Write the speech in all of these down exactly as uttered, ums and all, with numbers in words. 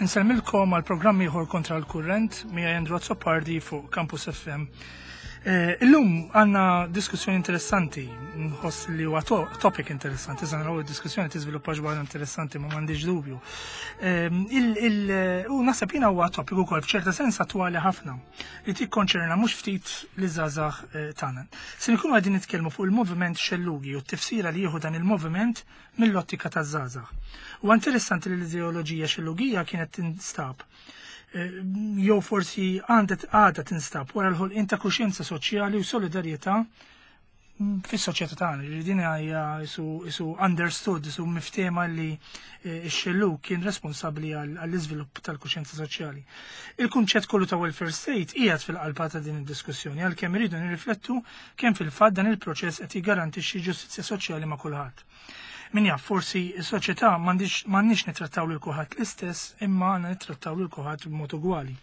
Insellmilkom għal programm ieħor Kontra l-Kurrent miegħi Andrew Azzopardi fuq Campus F M. Eh, illum għandna diskussjoni interessanti, nħoss li huwa to topic interessanti, issa naraw id-diskussjoni tiżviluppa ġwar interessanti, ma m'għandix dubju. Eh, u naħseb jiena huwa topic ukoll f'ċerta sens attwali ħafna li tikkonċerna mhux ftit li żgħażagħ eh, tagħna. Se nkunu qegħdin nitkellmu fuq il-moviment xellugi u t-tifsira li jieħu dan il-moviment mill-ottika taż-żgħażagħ. U interessanti li l-ideoloġija xellugija kienet tinstab eh, jew forsi għandet għadha tinstab wara l-ħolqien ta' kuxjenza soċjali u solidarjetà fis-soċjetà tagħna. Li din hija isu, isu understood, isu miftema li eh, x-xellug kien responsabbli għall-iżvilupp tal-kuxjenza soċjali. Il-kunċett kollu ta' welfare state qiegħed fil-qalba ta' din id-diskussjoni, għalkemm iridu nirriflettu kemm fil-fatt dan il-proċess qed jiggarantixxi ġustizzja soċjali ma' kulħadd. Min jaf, forsi s-soċjetà m'għandniex nittrattaw lil kulħadd l-istess, imma għandna nittrattaw lil kulħadd b'mod ugwali.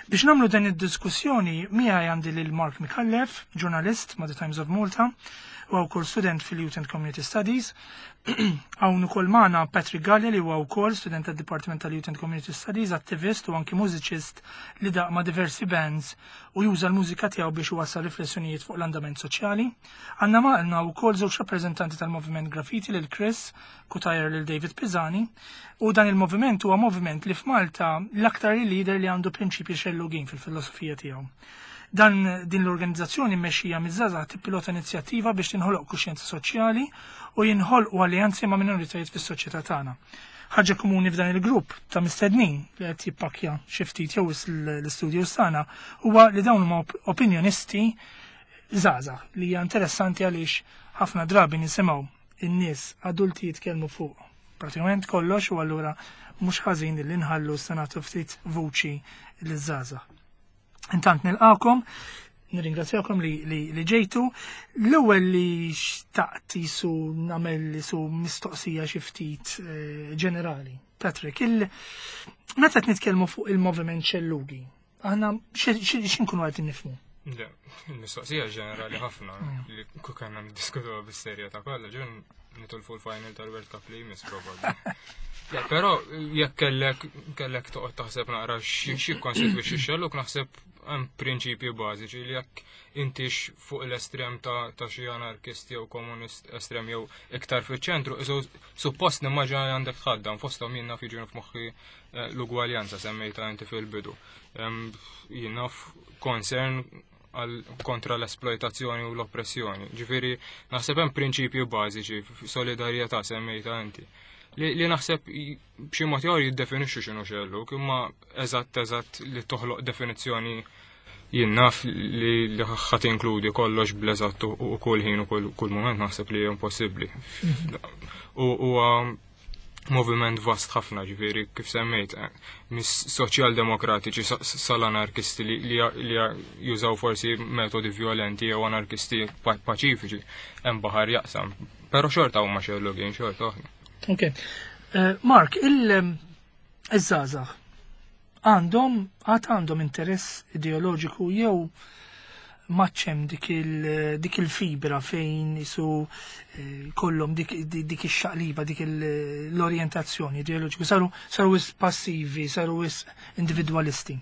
Biex nagħmlu dan id-diskussjoni, miegħi għandi lil Mark Micallef, ġurnalist ma' The Times of Malta, u wkoll student fil-Youth and Community Studies. Hawn ukoll magħna Patrick Gallia, li huwa wkoll student tad-Dipartiment tal-Youth and Community Studies, attivist u anki mużiċist li daqq ma' diversi bands u juża l-mużika tiegħu biex iwassal riflessjonijiet fuq l-andament soċjali. Għandna magħna wkoll żewġ rappreżentanti tal-Moviment Graffiti, lil Chris Cutajar, lil David Pisani, u dan il-moviment huwa moviment li f'Malta l-aktar leader li għandu prinċipji xellugin fil-filosofija tiegħu. Dan din l-organizzazzjoni mmexxija miż-żgħażagħ tippilota inizjattiva biex tinħoloq kuxjenza soċjali u jinħolqu alleanzi ma' minoritajiet fis-soċjetà tagħna. Ħaġa komuni f'dan il-grupp ta' mistednin li qed jippakkja xi ftit jew l-istudio tagħna huwa li dawn huma opinjonisti żgħażagħ, li hija interessanti għaliex ħafna drabi nisimgħu in-nies adulti jitkellmu fuq pratikament kollox, u allura mhux ħażin li nħallu s-senatu ftit vuċi liż-żgħażagħ. Intant nilqakom, nirringrazzjakom li, li, li ġejtu. L-ewwel li xtaqt jisu nagħmel jisu mistoqsija xi ftit eh, ġenerali. Patrick, il meta qed nitkellmu fuq il-moviment xellugi, aħna x'inkunu qed nifhmu? Le, il-mistoqsija ġenerali ħafna li kieku niddiskutu bis-serjetà kollha, ġun nitolfu l-final tal-World Cup li jmiss probabbli. Ja, però jekk kellek kellek toqgħod taħseb naqra xi kkonstitwixxi xellug, naħseb hemm prinċipji bażiċi li jekk intix fuq l-estrem ta' ta' xi anarkist jew komunist estrem jew iktar fiċ-ċentru, isu suppost nimmaġina li għandek tħaddam fosthom, jien naf, jiġu f'moħħi eh, l-ugwaljanza semmejta inti fil-bidu. Jien naf, concern għal kontra l-esploitazzjoni u l-oppressjoni. Ġifieri naħseb hemm prinċipju bażiċi, solidarjetà semmejta inti. Li, li naħseb b'xi mod jew jiddefinixxu x'inhu xellug, imma eżatt eżatt li toħloq definizzjoni, jien naf, li li ħadd tinkludi kollox bl-eżatt u kull ħin u kull moment, naħseb li impossibbli. U huwa moviment vast ħafna, ġifieri kif semmejt, eh, mis soċjal-demokratiċi sal-anarkisti li, li jużaw forsi metodi violenti jew anarkisti paċifiċi, hemm baħar jaqsam. Però xorta huma xellugin, xorta oħra. Ok. Uh, Mark, il-żgħażagħ għandhom għad għandhom interess ideoloġiku jew maċċem dik il- il-fibra fejn jisu eh, kollhom dik, dik ix-xaqliba, dik l-orientazzjoni ideoloġiku, saru saru wis passivi, saru wis individualisti?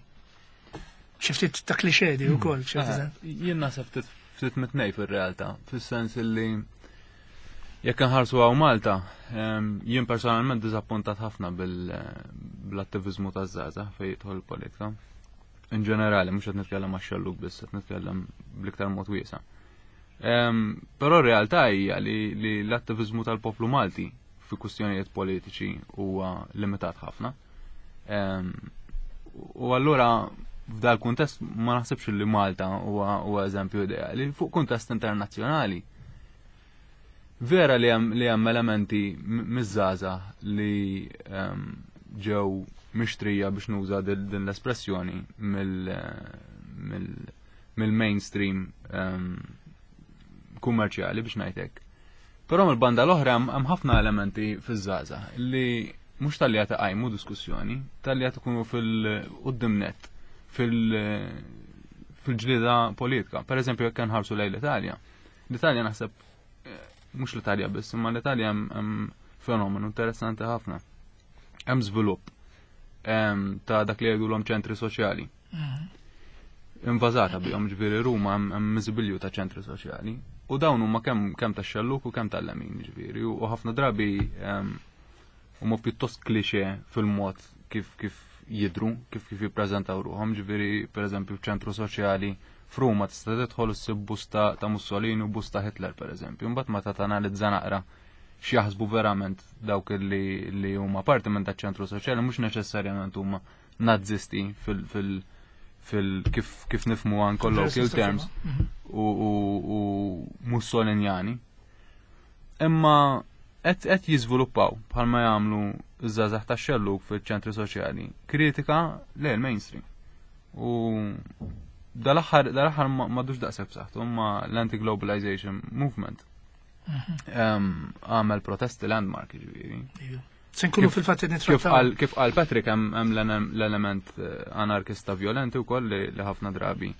Xi ftit ta' klixè di wkoll. Eh, jien naħseb ftit mit-tnejn fir-realtà, fis-sens li jekk nħarsu hawn Malta, jien personalment diżappuntat ħafna bil-attivizmu taż-żgħażagħ fejn jidħol politika. In ġenerali, mhux qed nitkellem għax-xellug biss, qed nitkellem bl-iktar mod wiesa'. Però r-realtà hija li l-attivizmu tal-poplu Malti fi kwistjonijiet politiċi huwa limitat ħafna. U allura f'dal kuntest ma naħsibx li Malta huwa eżempju ideali. Fuq kuntest internazzjonali, vera li hemm li hemm elementi miż-żgħażagħ li ġew mixtrija, biex nuża din l-espressjoni, mill-mainstream kummerċjali, biex ngħidlek. Però mill-banda l-oħra hemm ħafna elementi fiż-żgħażagħ li mhux talli qed iqajmu diskussjoni, talli qed ikunu fil-quddiem nett fil-ġlida politika. Per eżempju, jekk nħarsu lejn l-Italja. L-Italja naħseb, eh, mhux l-Italja biss, imma l-Italja hemm fenomenu interessanti ħafna. Hemm żvilupp ta' dak li jgħidulhom ċentri soċjali. Mhm. Invażata bihom ġifieri Ruma hemm miżibilju ta' ċentri soċjali. U dawn huma kemm kemm tax-xelluk u kemm tal-lemin ġifieri u ħafna drabi huma pjuttost klixe fil-mod kif kif jidru, kif kif jippreżentaw ruħhom, ġifieri pereżempju f'ċentru soċjali f'Ruma tista' tidħol issib busta ta' Mussolini u busta Hitler pereżempju. Imbagħad meta tanalizza naqra x'jaħsbu verament dawk li li huma parti minn taċ-ċentru soċjali mhux neċessarjament huma nazisti fil fil fil kif kif nifhmu għan colloquial terms mhm. u, u, u Mussolinjani. Imma qed qed jiżviluppaw bħalma jagħmlu ż-żgħażagħ tax-xellug fiċ-ċentri soċjali kritika lejn mainstream. U dal-aħħar dal-aħħar m'għadux daqshekk b'saħħtu imma l-anti-globalization movement mhm. għamel protesti landmark ġifieri. Se nkunu fil-fatt nittrattaw. Kif qal Patrick hemm l-element eh, anarkista violenti wkoll li ħafna drabi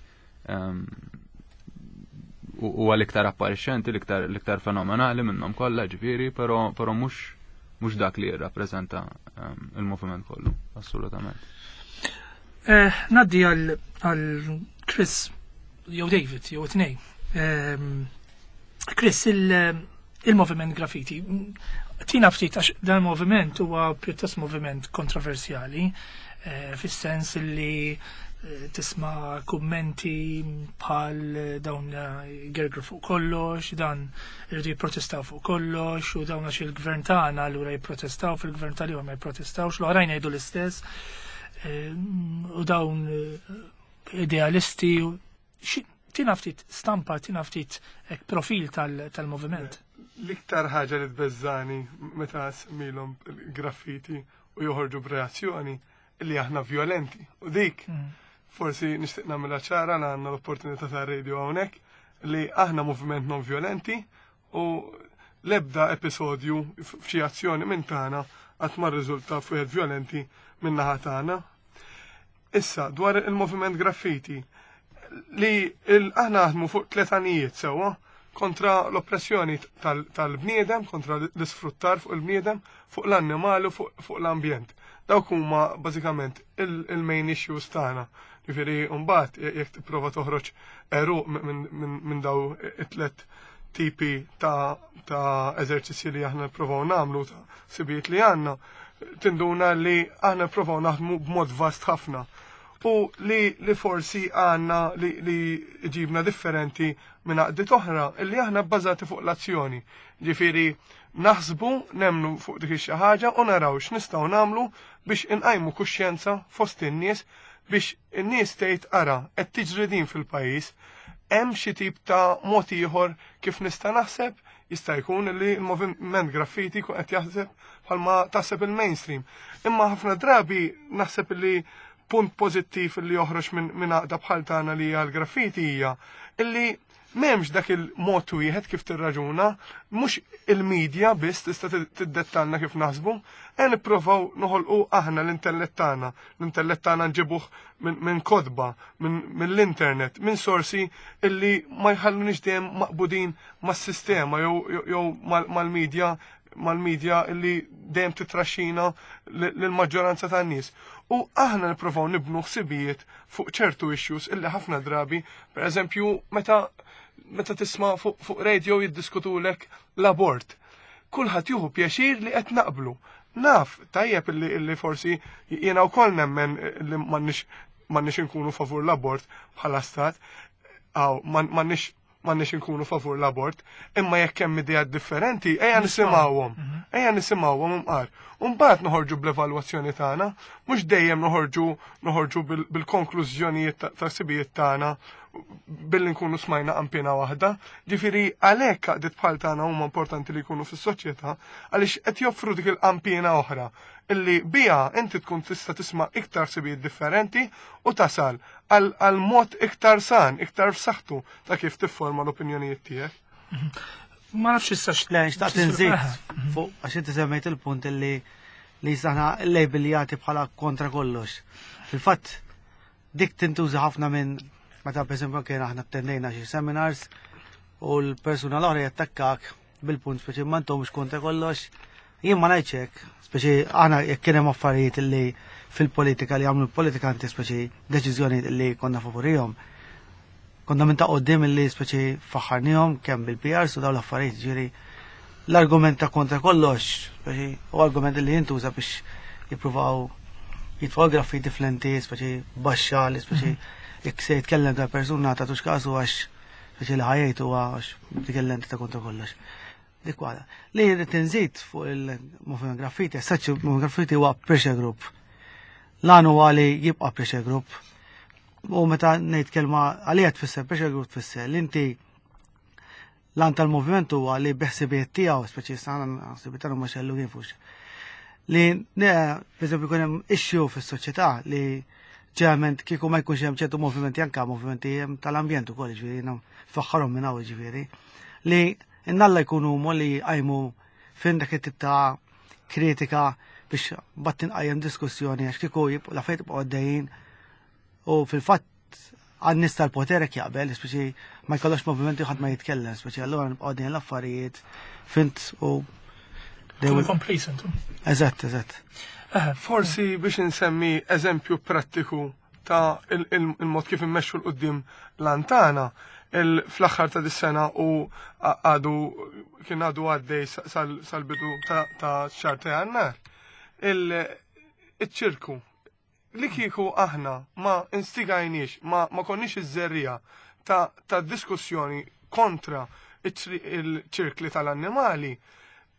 huwa l-iktar apparixxenti, l-iktar fenomenali minnhom kollha ġifieri, però però mhux mhux dak li jirrappreżenta il-moviment kollu, assolutament. Eh, naddi għal Chris jew David jew tnejn. Chris, il-moviment graffiti, tina ftit għax dan il-moviment huwa pjuttost moviment kontroversjali, eh, fis-sens li eh, tisma' kummenti bħal dawn gergru fuq kollox, dan irridu jipprotestaw fuq kollox, u dawn għax il-gvern tagħna allura jipprotestaw fil-gvern tal ma jipprotestawx, l-oħrajn jgħidu l-istess. Eh, u dawn idealisti tina ftit stampa, tina ftit profil tal-moviment. L-iktar ħaġa li tbeżżani meta semmilhom graffiti u joħorġu b'reazzjoni li aħna violenti. U dik mm. forsi nixtieq nagħmilha ċara li għandna l-opportunità ta' radio hawnhekk li aħna moviment non violenti u l-ebda episodju f'xi azzjoni minn tagħna qatt ma rriżulta f'wieħed violenti minn naħa tagħna. Issa dwar il-moviment graffiti li aħna naħdmu fuq tliet għanijiet sewwa kontra l-oppressjoni tal-bniedem, kontra l-isfruttar fuq il-bniedem, fuq l-annimali u fuq l-ambjent. Dawk huma bażikament il-main issues tagħna. Ġifieri mbagħad jekk tipprova toħroġ eruq minn daw it-tlet tipi ta' ta' eżerċizzji li aħna nippruvaw nagħmlu ta' sibijiet li għandna, tinduna li aħna nippruvaw naħdmu b'mod vast ħafna u li, li forsi għanna li, li ġibna differenti minn għaqdiet oħra illi aħna bbażati fuq l-azzjoni. Ġifieri naħsbu nemnu fuq dik xi ħaġa u naraw x'nistgħu nagħmlu biex inqajmu kuxjenza fost in-nies biex in-nies tgħid ara qed tiġri din fil-pajjiż hemm xi tip ta' mod ieħor kif nista' naħseb jista' jkun li l-moviment graffiti jkun qed jaħseb bħalma taħseb il-mainstream. Imma ħafna drabi naħseb li punt pożittiv li joħroġ minn min għaqda bħal tagħna li hija l-graffiti hija illi m'hemmx dak il-mod wieħed kif tirraġuna, mhux il-medja biss tista' tiddettalna kif naħsbu, e nippruvaw noħolqu aħna l-intellett tagħna, l-intellett tagħna nġibuh minn kotba, mill-internet, minn sorsi illi ma jħallunix dejjem maqbudin mas-sistema jew jew mal-medja mal-medja illi dejjem titraxxina lill-maġġoranza tan-nies. U aħna nippruvaw nibnu ħsibijiet fuq ċertu issues illi ħafna drabi, per eżempju, meta meta tisma' fuq fu radio jiddiskutulek l-abort. Kulħadd jieħu pjaċir li qed naqblu. Naf, tajjeb illi, illi forsi jiena wkoll nemmen li m'għandniex m'għandniex inkunu favur l-abort bħala stat, aw m'għandniex m'għandniex inkunu favur l-abort, imma jekk hemm ideat differenti, ejja nisimgħuhom. Mhm. Ejja nisimgħuhom imqar. U mbagħad noħorġu bl-evalwazzjoni tagħna, mhux dejjem noħorġu noħorġu bil-konklużjonijiet ta' sibijiet tagħna billi nkunu smajna qampina waħda. Ġifieri għalhekk għaqdiet bħal tagħna huma importanti li jkunu fis-soċjetà għaliex qed joffru dik il-qampina oħra illi bija inti tkun tista' tisma' iktar sibijiet differenti u tasal għal mod iktar san, iktar f'saħħtu ta' kif tifforma l-opinjonijiet tiegħek. Ma nafx issa Le, xtaqt nżid fuq għax inti semmejt il-punt illi li saħna l-label li jagħti bħala kontra kollox. Fil-fatt dik tintuża ħafna minn meta pereżempju kien aħna attendejna xi seminars u l-persuna l-oħra jattakkak bil-punt speċi ma intomx kontra kollox, Jien ma ngħidx hekk, speċi aħna jekk kien hemm affarijiet li fil-politika li għamlu l-politikanti, speċi deċiżjoni li konna favorihom. Konna minn ta' qoddim li speċi faħħarnihom kemm bil-P R su dawn l-affarijiet, ġifieri l-argument ta' kontra kollox, speċi u argument li jintuża biex jippruvaw jitfgħu graffiti flenti, speċi baxxa li speċi jekk se jitkellem ta' persuna ta' tux kasu għax speċi li ħajjajtu għax dik il-lenti ta' kontra kollox. Dik waħda. Li rrid inżid fuq il-movement graffiti, saċ movement graffiti huwa pressure group. L-għan huwa li jibqa' pressure group. U meta ngħid kelma għalija tfisser pressure group, tfisser li inti l-għan tal-moviment huwa li biħsibijiet tiegħu, speċi sana ħsibijiet tagħhom ma xellu kifux. Li ne, per eżempju, jkun hemm issue fis-soċjetà li ġeneralment kieku ma jkunx hemm ċertu movimenti, anka movimenti hemm tal-ambjent ukoll, ġifieri jiena faħħarhom minn hawn, ġifieri li innalla jkunu huma li jqajmu fin dak it-tip ta' kritika biex bat tinqajjem diskussjoni, għax kieku jibqgħu l-affarijiet jibqgħu għaddejjin u fil-fatt għan-nies tal-poter hekk jaqbel, speċi ma jkollokx movimenti, ħadd ma jitkellem, speċi allura nibqgħu għaddejjin l-affarijiet fint u they Kunu will- complacent. Eżatt, eżatt. Eh, Forsi biex insemmi eżempju prattiku ta' il- il- il-mod kif immexxu 'l quddiem l-antana, il- fl-aħħar ta' dis-sena u a- għadu kien għadu għaddej sa- sal- sal-bidu ta' ta' xahar ta' Jannar. Il- Iċ-ċirku li kieku aħna ma instigajniex, ma, ma konniex iż-żerriegħa ta', ta' diskussjoni kontra iċ- il-ċirkli tal-annimali,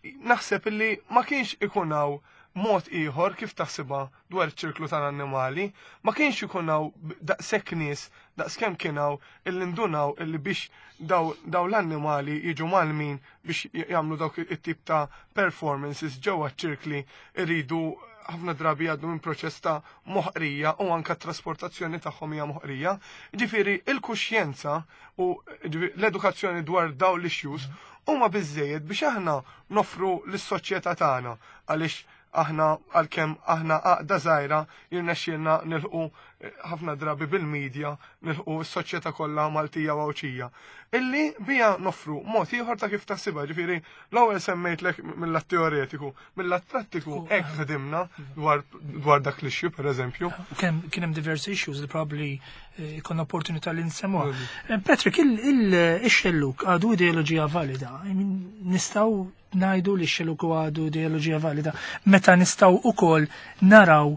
naħseb illi ma kienx ikun hawn mod ieħor kif taħsibha dwar iċ-ċirklu tal-annimali, ma kienx ikun hawn daqshekk nies daqskemm kien hawn illi ndunaw illi biex daw, daw l-annimali jiġu malmin biex jagħmlu dawk it-tip ta' performances ġewwa ċ-ċirkli iridu ħafna drabi jgħaddu minn proċess ta' moħqrija u anka trasportazzjoni tagħhom hija moħqrija. Ġifieri il-kuxjenza u ġifieri l-edukazzjoni dwar dawn l-issues huma biżejjed biex aħna nofru lis-soċjetà tagħna, għaliex aħna għalkemm aħna għaqda żgħira jirnexxielna nilħqu eh, ħafna drabi bil-medja nilħqu s-soċjetà kollha Maltija u Għawdxija. Illi bija nofru mod ieħor ta' kif taħsibha, ġifieri l-ewwel semmejtlek mill-lat teoretiku, mill-lat prattiku hekk ħdimna dwar dwar dak l-issue, pereżempju. Kien kien hemm diversi issues li probably eh, ikun opportunità li nsemmuha. Eh, Patrick, il-xelluk għadu ideoloġija valida? I mean, nistgħu ngħidu li x-xelluk għadu ideoloġija valida meta nistgħu ukoll naraw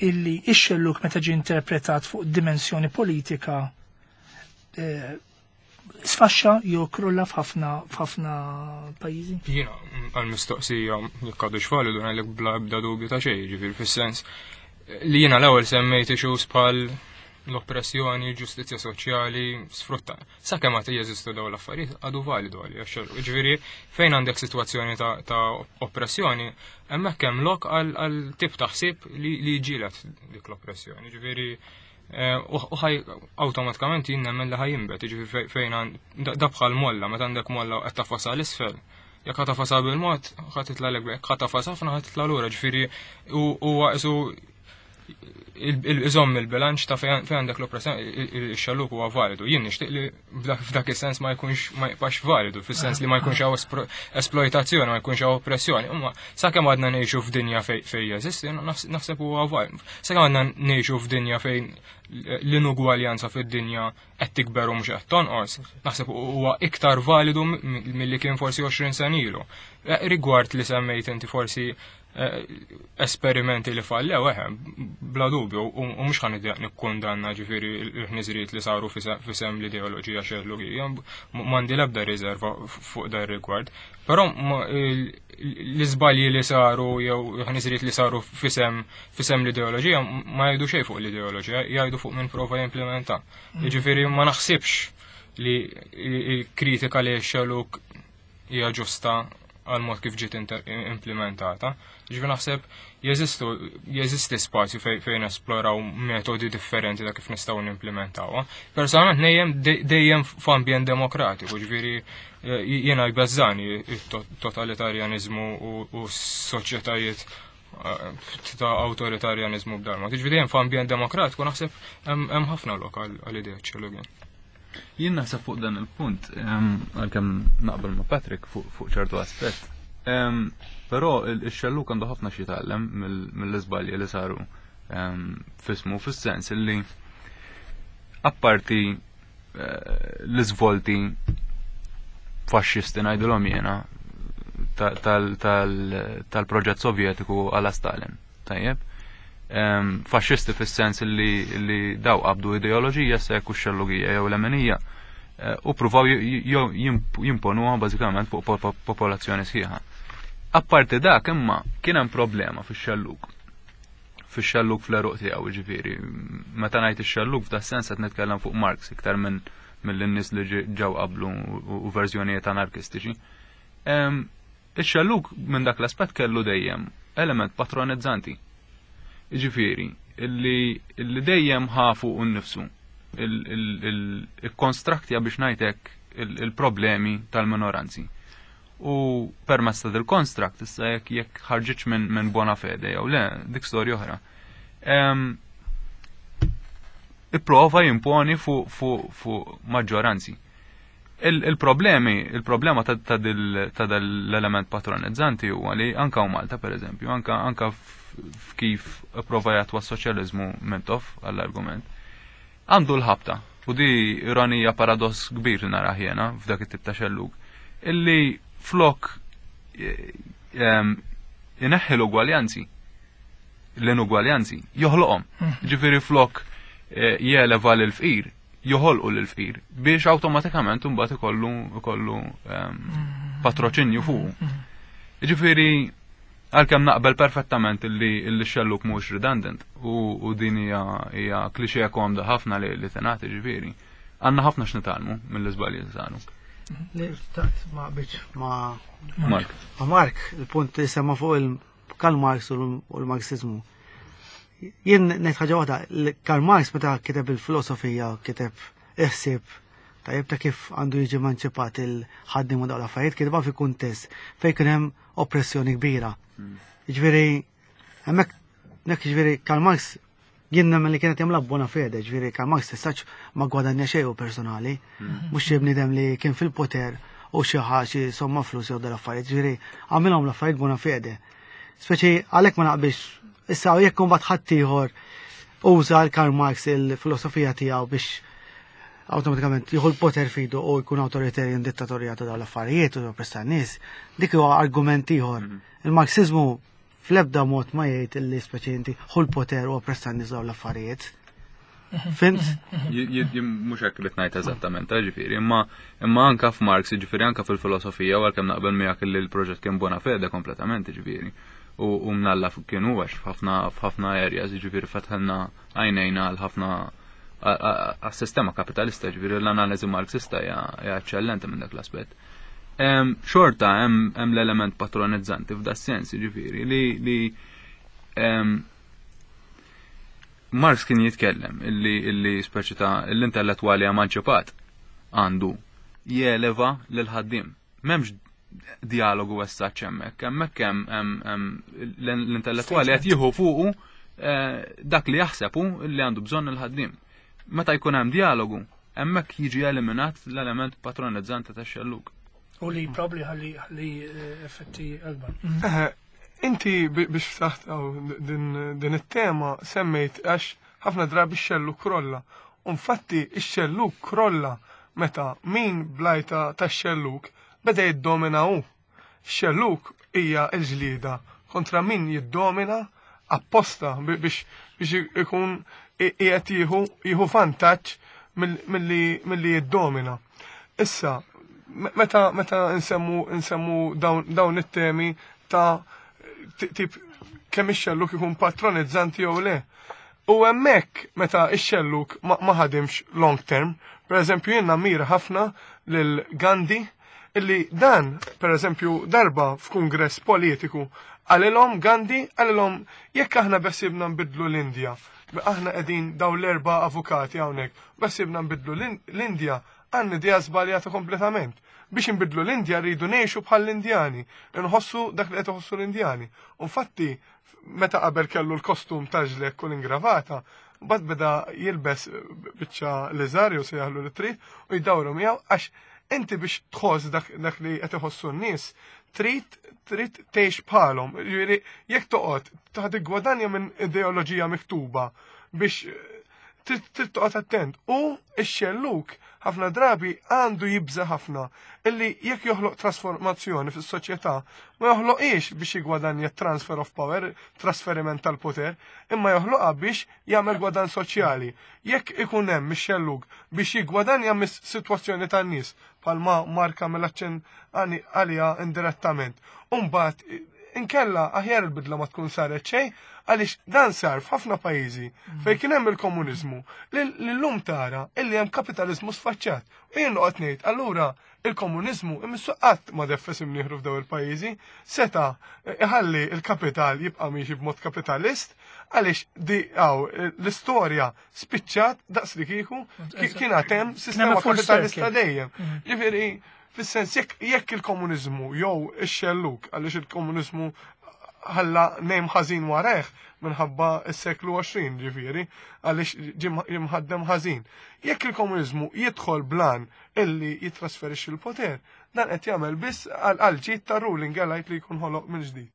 illi x-xelluk meta ġie interpretat fuq dimensjoni politika eh, sfaxxa jew krulla f'ħafna f'ħafna pajjiżi? Jiena, għal-mistoqsija jekk għadux validu, ngħidlek bla ebda dubju ta' xejn, ġifieri fis-sens li jiena l-ewwel semmejt issues bħal l-oppressjoni, ġustizzja soċjali, sfrutta. Sakemm għad jeżistu dawn l-affarijiet, għadu validu għalija x-xelluk. Ġifieri fejn għandek sitwazzjoni ta', ta oppressjoni, hemmhekk hemm lok għal għal tip ta' ħsieb li li jġieled dik l-oppressjoni. Ġifieri eh, u u ħaj awtomatikament jien nemmen li ħa jinbet, ġifieri fej- fejn għand- da da bħal molla, meta għandek molla u qed tagħfasha 'l isfel, jekk ħa tagħfasha bil-mod, ħa titla' lek, jekk ħa tagħfas ħafna, ħa titla' lura, ġifieri huwa isu iżomm il-bilanċ ta' fejn fejn għandek l-oppressjoni, il-xelluk huwa validu. Jien nixtieq li f'dak f'dak is-sens ma jkunx ma jibqax validu, fis-sens li ma jkunx hawn espro- esploitazzjoni, ma jkunx hawn oppressjoni. Imma sakemm għadna ngħixu f'dinja fej fej jeżisti, naħs- naħseb huwa validu. Sakemm għadna ngħixu f'dinja fejn l-inugwaljanza fid-dinja qed tikber u mhux qed tonqos, naħseb huwa iktar validu milli kien forsi għoxrin sena ilu. Eh, Rigward li semmejt inti forsi eh, esperimenti li fallew, eħe, bla dubju, u u mhux ħa nikkundanna ġifieri l-ħniżriet li saru fisem l-ideoloġija xellugija, m'għandi l-ebda riserva fuq dar rigward. Però ma- il- l-iżbalji li saru jew ħniżriet li saru fisem fisem l-ideoloġija ma jgħidu xejn fuq l-ideoloġija, jgħidu fuq min prova jimplementa. Jiġifieri ma naħsibx li il-kritika li xelluk hija ġusta għal mod kif ġiet inter- implementata. Ġifieri naħseb jeżistu jeżisti spazju fej- fejn esploraw metodi differenti ta' kif nistgħu nimplementawha. Personalment nejjem de- dejjem f'ambjent demokratiku, ġifieri eh, jiena jbeżżani it-totalitarjanizmu u, u s-soċjetajiet eh, ta' awtoritarjanizmu b'dal mod. Ġifieri dejjem f'ambjent demokratiku naħseb hemm hemm ħafna lok għal għal idea xellugin. Jien naħseb fuq dan il-punt, em, għalkemm naqbel ma' Patrick fuq fuq ċertu aspett. Però il-xellug għandu ħafna xi jitgħallem mill-iżbalji li saru f'ismu, fis-sens illi apparti eh, l-iżvolti faxxisti, ngħidilhom jiena, tal-proġett sovjetiku għala Stalin. Tajjeb? Faxxisti fis-sens li daw qabdu ideoloġija, se jekk xellugija jew lemenija, eh, u pruvaw jimponuha bażikament fuq popolazzjoni sħiħa. Apparti dak, imma kien hemm problema fix-xellug. Fix-xellug fl-eruq tiegħu, ġifieri. Meta ngħid ix-xellug f'da sens qed nitkellem fuq Marx iktar minn mill-nies li ġew qablu u verżjonijiet anarkistiċi. Ix-xellug minn dak l-aspett kellu dejjem element patronizzanti. Ġifieri, illi dejjem ħafu u nnifsu il-konstraktja, biex ngħidlek, il-problemi tal-minoranzi. U permezz ta' dil-construct, issa jekk jekk ħarġitx minn min bona fede jew le, dik storja oħra. Ipprova jimponi fuq fu, fu maġġoranzi. Il-problemi, il-problema ta' dal-element patronizzanti huwa li anka u Malta, per eżempju, anka anka f'kif prova jatwa s-soċjaliżmu Mintoff għall-argument, għandu l-ħabta, u di ironija, paradoss kbir li nara jiena f'dak it-tip ta' xellug, illi flok ineħħi l-ugwaljanzi, l-inugwaljanzi, joħloqhom. Hmm. Ġifieri flok eh, jeleva l-fqir, joħolqu l-fqir biex awtomatikament imbagħad ikollu ikollu hmm. patroċinju fuq. Hmm. Ġifieri għalkemm naqbel perfettament illi x-xelluk mhux redundant u din hija hija klixè komda ħafna li li tingħati, ġifieri. Għandna ħafna x'nitgħallmu mill-iżbalji li saru. Li xtaqt ma biċ ma Mark. Ma Mark, il-punt li semma fuq il-Karl Marx u l-Marxizmu. Jien ngħid ħaġa waħda, Karl Marx meta kiteb il-filosofija, kiteb iħsib tajjeb ta' kif għandu jiġi emanċipat il-ħaddim u dawn l-affarijiet, kitba fi kuntest fejn kien hemm oppressjoni kbira. Ġifieri, hemmhekk nek ġifieri Karl Marx jien nemmen li kienet jagħmilha bona fede, ġifieri Karl Marx tistax ma gwadanja xejn hu personali, mhux xi bniedem li kien fil-poter u xi xi somma flus jew dal-affarijiet, ġifieri għamilhom l-affarijiet bona fede. Speċi għalhekk ma naqbilx. Issa jekk imbagħad ħaddieħor uża l-Karl Marx, il-filosofija tiegħu, biex awtomatikament jieħu l-poter fidu u jkun authoritarian, dittatorjat ta' dawn l-affarijiet u joppressa n-nies, dik huwa argument ieħor. Il-Marxizmu fl-ebda mod ma jgħid illi speċi inti ħu l-poter u oppressa n-nies, dawn l-affarijiet. Fhimt? Mhux hekk li ngħid eżattament, eh, ġifieri, imma imma anka f'Marx, ġifieri anka fil-filosofija, u għalkemm naqbel miegħek li l-proġett kien bona fede kompletament, ġifieri. U u mnalla kien huwa f'ħafna f'ħafna areas, ġifieri fetħelna għajnejna għal ħafna għas-sistema kapitalista, ġifieri l-analiżi marxista hija eċċellenti minn dak l-aspett. Xorta hemm l-element patronizzanti f'da sens, ġifieri li li Marx kien jitkellem illi illi speċi ta' l-intellettwali emanċipat għandu jeleva lil ħaddiem. M'hemmx dialogu essaċ hemmhekk, hemmhekk hemm l-intellettwali qed jieħu fuqu eh, dak li jaħsebu li għandu bżonn il-ħaddiem. Meta jkun hemm dialogu, hemmhekk jiġi eliminat l-element patronizzanti tax-xellug. U li probably ħalli ħalli eh, effetti akbar. Eh, Inti biex ftaħt din, din it-tema semmejt għax ħafna drabi x-xellug krolla. Infatti x-xellug krolla meta min blajta tax-xellug beda jiddomina hu. X-xellug hija l-ġlieda kontra min jiddomina apposta biex biex ikun qiegħed jieħu jieħu vantaġġ milli milli jiddomina. Issa, meta meta nsemmu nsemmu dawn, dawn it-temi ta' tip kemm ix-xelluk ikun patronizzanti jew le. U hemmhekk meta ix-xelluk ma ħadimx long term, per eżempju jien mira ħafna lil Gandhi, illi dan, per eżempju, darba f'kungress politiku qalilhom Gandhi, qalilhom: "Jekk aħna beħsiebna nbidlu l-Indja, aħna qegħdin daw l-erba' avukati hawnhekk, beħsiebna nbidlu l-Indja, għandna idea żbaljata kompletament. Biex nbidlu l-Indja rridu ngħixu bħall-Indjani, nħossu dak li qed iħossu l-Indjani." Infatti, meta qabel kellu l-kostum ta' ġlekk u l-ingravata, bad beda jilbes biċċa liżar jew sejjaħlu li trid u jdawru miegħu għax Inti biex tħoss dak, dak li qed iħossu n-nies, trid trid tgħix bħalhom. Jiġifieri jekk toqgħod taħt gwadanja minn ideoloġija miktuba biex trid trid toqgħod attent. U x-xelluk ħafna drabi għandu jibża ħafna illi jekk joħloq trasformazzjoni fis-soċjetà ma joħloqiex biex jigwadanja transfer of power, trasferiment tal-poter, imma joħloqha biex jagħmel gwadan soċjali. Jekk ikun hemm ix-xellug biex jiggwadanja mis-sitwazzjoni tan-nies bħalma marka mill-aċċenn għaliha indirettament. U mbagħad inkella aħjar il-bidla ma tkun saret xejn għaliex dan sar f'ħafna pajjiżi fejn kien hemm il-komuniżmu li llum tara illi hemm kapitaliżmu sfaċċat. U jien noqgħod ngħid allura il-komuniżmu imissu qatt ma deffes imnieħru f'daw il-pajjiżi, seta' iħalli il-kapital jibqa' miexi b'mod kapitalist għaliex di għaw l-istorja spiċċat daqs li kieku kien għad hemm sistema kapitalista dejjem. Ġifieri fis-sens jekk jekk il-komuniżmu jew ix-xelluk għaliex il-komuniżmu ħalla nejm ħażin warajh minħabba s-seklu għoxrin ġifieri għaliex ġie mħaddem ħażin. Jekk il-komuniżmu jidħol blan illi jitrasferixxi l-poter, dan qed jagħmel biss għal ġid ta' ruling elite li jkun ħoloq minn ġdid.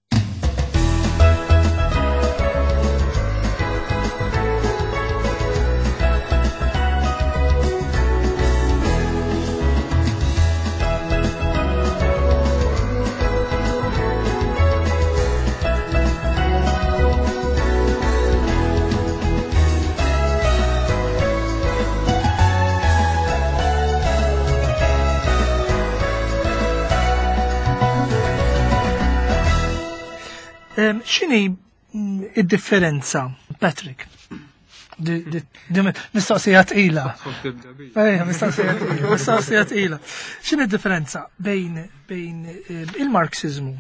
X'inhi id-differenza, Patrick? Mistoqsija tqila. Ejja, mistoqsija tqila, mistoqsija tqila. X'inhi d-differenza bejn bejn il-Marxiżmu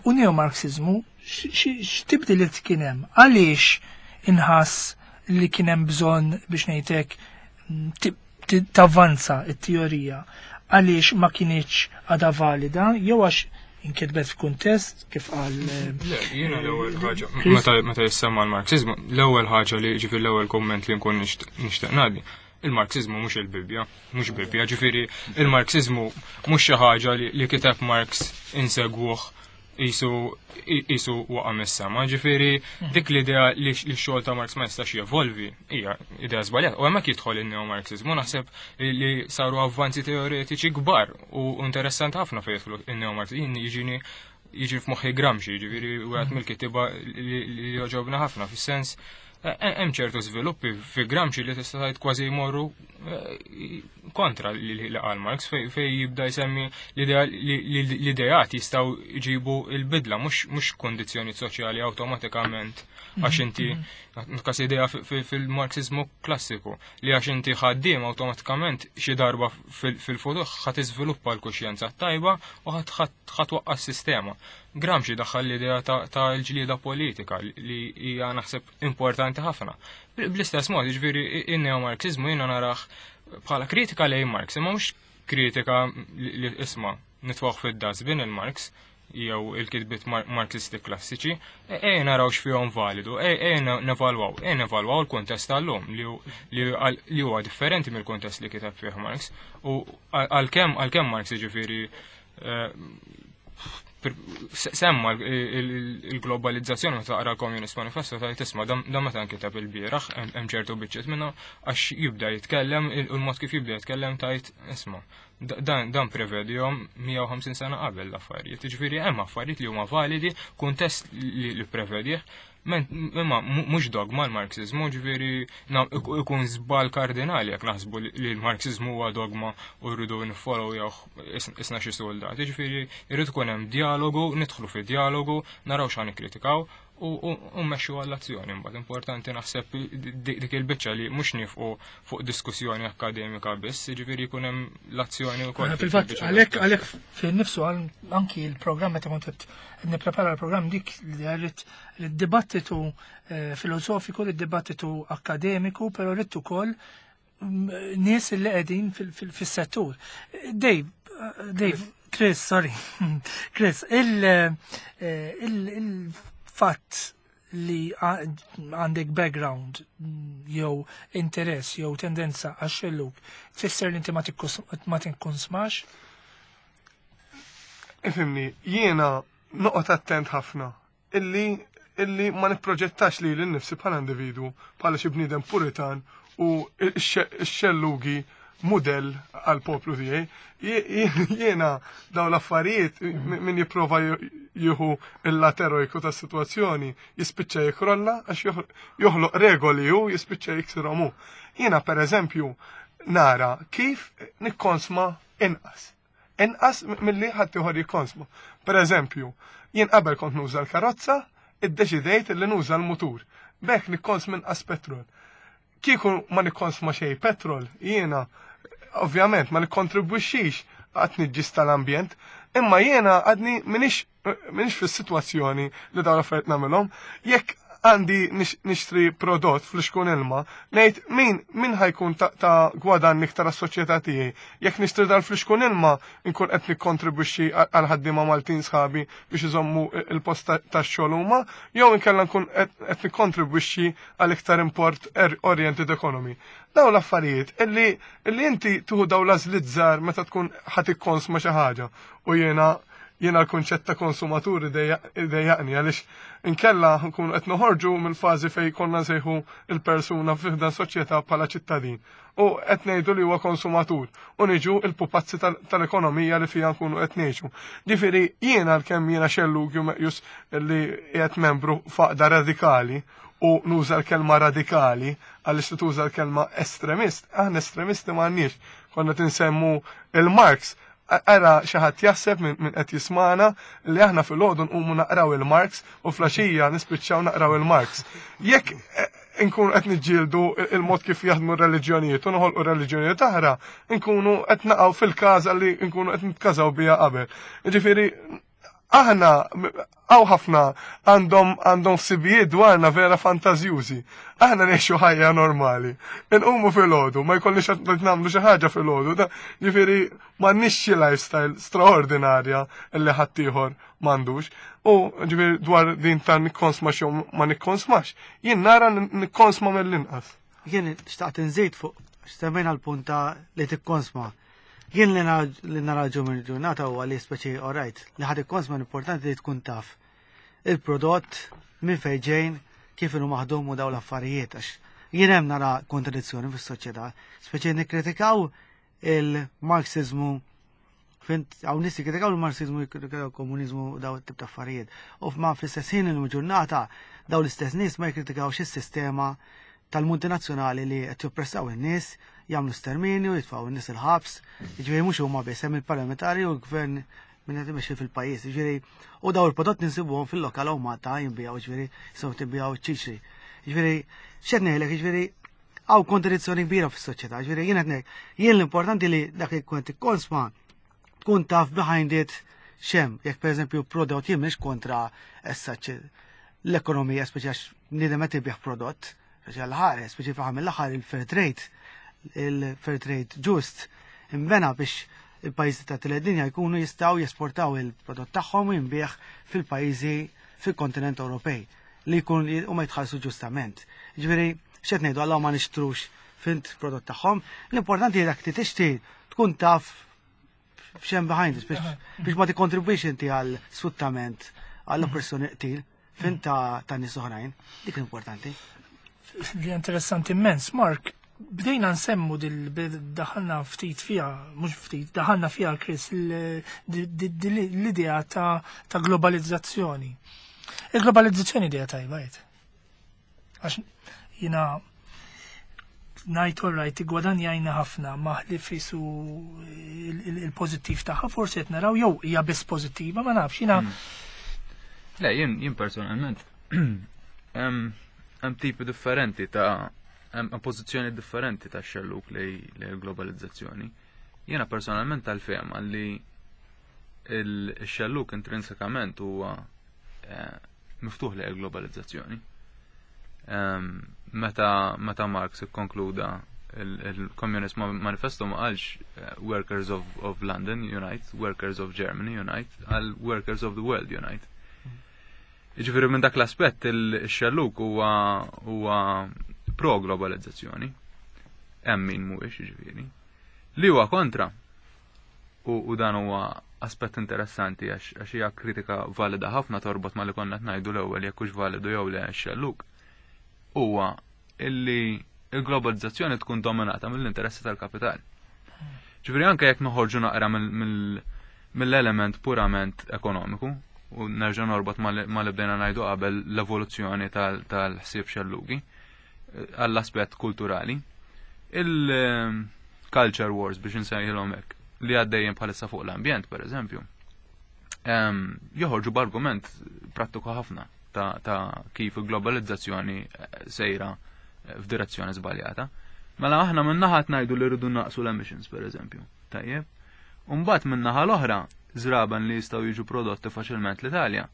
u neo-Marxiżmu? X'tibdiliet kien hemm? Għaliex inħass li kien hemm bżonn biex ngħidlek tavvanza t-teorija? Għaliex ma kinitx għadha valida jew għax inkitbet f'kuntest kif qal? Le, jiena l-ewwel ħaġa meta meta jissemma l-Marxiżmu, l-ewwel ħaġa li ġifieri l-ewwel kumment li nkun nixtieq ngħaddi, il-Marxiżmu mhux il-Bibbja, mhux Bibbja, ġifieri il-Marxiżmu mhux xi ħaġa li kiteb Marx insegwuh isu isu waqa' mis-sema, ġifieri dik l-idea li x-xogħol ta' Marx ma jistax jevolvi hija idea żbaljata. U hemmhekk jidħol in-neo-Marxiżmu, naħseb li saru avvanzi teoretiċi kbar u interessanti ħafna fejn jidħlu in-neo-Marxiżmu. Jiġini jiġi f'moħħi Gramsci, ġifieri wieħed mill-kittieba li jogħġobna ħafna fis-sens hemm ċertu żviluppi fi Gramsci li tista' tgħid kważi jmorru kontra li qal Marx fejn jibda jsemmi l-ideat jistgħu jġibu l-bidla mhux kundizzjoni soċjali awtomatikament għax inti kas idea fil-Marxiżmu klassiku li għax inti ħaddiem awtomatikament xi darba fil-futur ħa tiżviluppa l-kuxjenza tajba u ħa twaqqa' s-sistema. Gramsci daħħal l-idea ta' l-ġlieda politika li hija naħseb importanti ħafna. Bl-istess mod, jiġifieri in-neo-Marxiżmu jiena narah bħala kritika lejn Marx, imma mhux kritika li isma' nitwaħ fid-dustbin il-Marx jew il-kitbiet Marxisti klassiċi, ejja naraw x'fihom validu, ejja nevalwaw, ejja nevalwaw l-kuntest tal-lum li huwa differenti mill-kuntest li kiteb fih Marx. U għalkemm għalkemm Marx jiġifieri semma il-globalizzazzjoni meta taqra l-Communist Manifesto tgħid tisma' dan meta nkiteb il-bieraħ hemm ċertu biċċiet minnhom għax jibda jitkellem il-mod kif jibda jitkellem tgħid isma' dan dan prevedihom mija u ħamsin sena qabel l-affarijiet. Jiġifieri hemm affarijiet li huma validi, kuntest li prevedih, imma mhux dogma l-Marxiżmu, ġifieri ikun żball kardinali jekk naħsbu li l-Marxiżmu huwa dogma u rridu niffollow jew isna xi soldati. Ġifieri jrid ikun hemm dialogu, nidħlu fi dialogu, naraw x'għan nikkritikaw u mmexxu għall-azzjoni. Imbagħad importanti naħseb dik il-biċċa li mhux nifqu fuq diskussjoni akademika biss, jiġifieri jkun hemm l-azzjoni wkoll. Fil-fatt għalhekk għalhekk fil nifsu anki l-programm meta kont qed nipprepara l-programm dik li rrid id-dibattitu filosofiku, id-dibattitu akademiku, però rrid ukoll nies li qegħdin fis-settur. Dave, Dave, Chris, sorry. Chris, il il fatt li għandek background jew interess jew tendenza għax-xellug tfisser li inti ma tikkonsmax? Ifhimni, jiena noqgħod attent ħafna illi illi ma nipproġettax lili nnifsi bħala individwu, bħala xi bniedem puritan u x-xellugi mudell għal poplu tiegħi. Jiena dawn l-affarijiet min jipprova jieħu il-lat erojku tas-sitwazzjoni jispiċċa jikrolla għax joħloq regoli hu jispiċċa jiksirhom hu. Jiena pereżempju nara kif nikkonsma inqas. Inqas milli ħaddieħor jikkonsma. Pereżempju, jien qabel kont nuża l-karozza, iddeċidejt li nuża l-mutur. B'hekk nikkonsma inqas petrol. Kieku ma nikkonsma xejn petrol, jiena ovvjament ma nikkontribwixxix għat-tniġġis tal-ambjent, imma jiena għadni minix minix fis-sitwazzjoni li dawn l-affarijiet nagħmilhom. Jekk għandi nixtri prodott fl-xkun ilma, ngħid min min ħajkun ta', ta gwadann iktar għas-soċjetà tiegħi. Jekk nixtri dal fl-xkun ilma, nkun qed nikkontribwixxi għal ħaddiema Maltin sħabi biex iżommu il-post tax-xogħol huma, jew inkella nkun qed nikkontribwixxi għal iktar import oriented economy. Dawn l-affarijiet illi illi inti tuħu dawn l-għażliet żgħar meta tkun ħa tikkonsma xi ħaġa u jiena jiena l-kunċett ta' konsumaturi dejjaqni għaliex inkella nkunu qed noħorġu mill-fażi fejn konna nsejħu il-persuna f'dan soċjetà bħala ċittadin u qed ngħidu li huwa konsumatur u niġu il-pupazzi tal-ekonomija li fiha nkunu qed ngħixu. Ġifieri jiena għalkemm jiena xellug meqjus li qiegħed membru f'għaqda radikali u nuża l-kelma radikali għaliex li tuża l-kelma estremist, aħna estremisti m'għandniex, konna tinsemmu il-Marx. Ara xi ħadd jaħseb minn qed jismana li aħna filgħodu nqumu naqraw il-Marx u flaxija nispiċċaw naqraw il-Marx. Jekk nkunu qed niġġieldu il-mod kif jaħdmu r-reliġjonijiet u noħolqu reliġjonijiet oħra, nkunu qed naqgħu fil-każa li nkunu qed nitkażaw biha qabel. Jiġifieri aħna hawn ħafna għandhom għandhom ħsibijiet dwarna vera fantażjużi. Aħna ngħixu ħajja normali. Inqumu filgħodu, ma jkollniex qed nagħmlu xi ħaġa filgħodu. Ġifieri m'għandniex xi lifestyle straordinarja li ħaddieħor m'għandux. U ġifieri dwar din ta' nikkonsma xi ma nikkonsmax, jien nara nikkonsma mill-inqas. Jien xtaqt inżid fuq x'semmejna l-punt ta' li tikkonsma. Jien li nara ġum il-ġurnata huwa li speċi alright, li ħad ikkonsma importanti li tkun taf il-prodott minn fejn ġejn, kif inhu maħdum u dawn l-affarijiet, għax jien hemm nara kontradizzjoni fis-soċjetà, speċi nikkritikaw il-Marxizmu, fint hawn nies jikkritikaw il-Marxizmu, jikkritikaw il-komuniżmu u dawn it-tip ta' affarijiet. U ma fl-istess ħin il-ġurnata dawn l-istess nies ma jikkritikawx is-sistema tal-multinazzjonali li qed joppressaw in-nies, jagħmlu sterminju, jitfgħu n-nies il-ħabs, jiġifieri mhux huma biss hemm il-parlamentari u l-gvern min qed imexxi fil-pajjiż, jiġifieri u dawn il-prodott ninsibuhom fil-lokal hawn Malta jinbiegħu, jiġifieri jistgħu tinbiegħu ċ-ċiċri. Jiġifieri x'qed ngħidlek, jiġifieri hawn kontradizzjoni kbira fis-soċjetà, jiġifieri jien qed ngħid, jien l-importanti li dak li tkun tikkonsma tkun taf behind it x'hemm, jekk pereżempju prodott jien mhix kontra issa l-ekonomija, speċi għax bniedem qed ibigħ prodott, speċi għall-ħares, speċi fl-aħħar mill-aħħar il-fair trade, il-fair trade ġust imbena biex il-pajjiżi ta' tielet dinja jkunu jistgħu jesportaw il-prodott tagħhom u jinbiegħ fil-pajjiżi fil-kontinent Ewropej li jkun u ma jitħallsu ġustament. Ġifieri x'qed ngħidu għal ma nixtrux fint prodott tagħhom, l-importanti dak li tixtri tkun taf x'hemm behind it biex biex ma tikkontribwix inti għal sfruttament, għall oppressjoni qtil fint ta' ta' nies oħrajn, dik l-importanti. Li interessanti immens, Mark, bdejna nsemmu dil daħalna ftit fija, mhux ftit, daħalna fija Chris l-idea ta' ta' globalizzazzjoni. Il-globalizzazzjoni idea tajba jgħid. Għax jiena ngħid all right, gwadanjajna ħafna maħli fisu il-pożittiv tagħha, forsi qed naraw jew hija biss pożittiva, ma nafx jiena. Le, jien jien personalment hemm tipi differenti ta' hemm pożizzjoni differenti ta' xelluk lej l-globalizzazzjoni. Jiena personalment tal-fehma li il-xelluk intrinsikament huwa miftuħ lejn il-globalizzazzjoni. Meta meta Marx ikkonkluda il-Communist Manifesto ma qalx Workers of, of London Unite, Workers of Germany Unite, qal Workers of the World Unite. Jiġifieri minn dak l-aspett il-xelluk huwa huwa pro-globalizzazzjoni. Hemm min mhuwiex jiġifieri. Li huwa kontra u, u dan huwa aspett interessanti għax għax hija kritika valida ħafna torbot ma li konna qed ngħidu l-ewwel jekk hux validu jew le x-xelluk. Huwa illi il-globalizzazzjoni tkun dominata mill-interessi tal-kapital. Ġifieri anke jekk noħorġu naqra mill-element purament ekonomiku u nerġa' norbot ma li bdejna ngħidu qabel l-evoluzzjoni tal-ħsieb xellugi eh, għall-aspett kulturali. Il-culture wars biex insejħilhom hekk li għaddejjin bħalissa fuq l-ambjent, per eżempju, joħorġu b'argument prattiku ħafna ta', ta kif il-globalizzazzjoni eh, sejra eh, f'direzzjoni żbaljata. Mela aħna minn naħa ngħidu li rridu naqsu l-emissions, per eżempju. Tajjeb. Umbagħad minn naħa l-oħra, żraben li jistgħu jiġu prodotti faċilment l-Italja,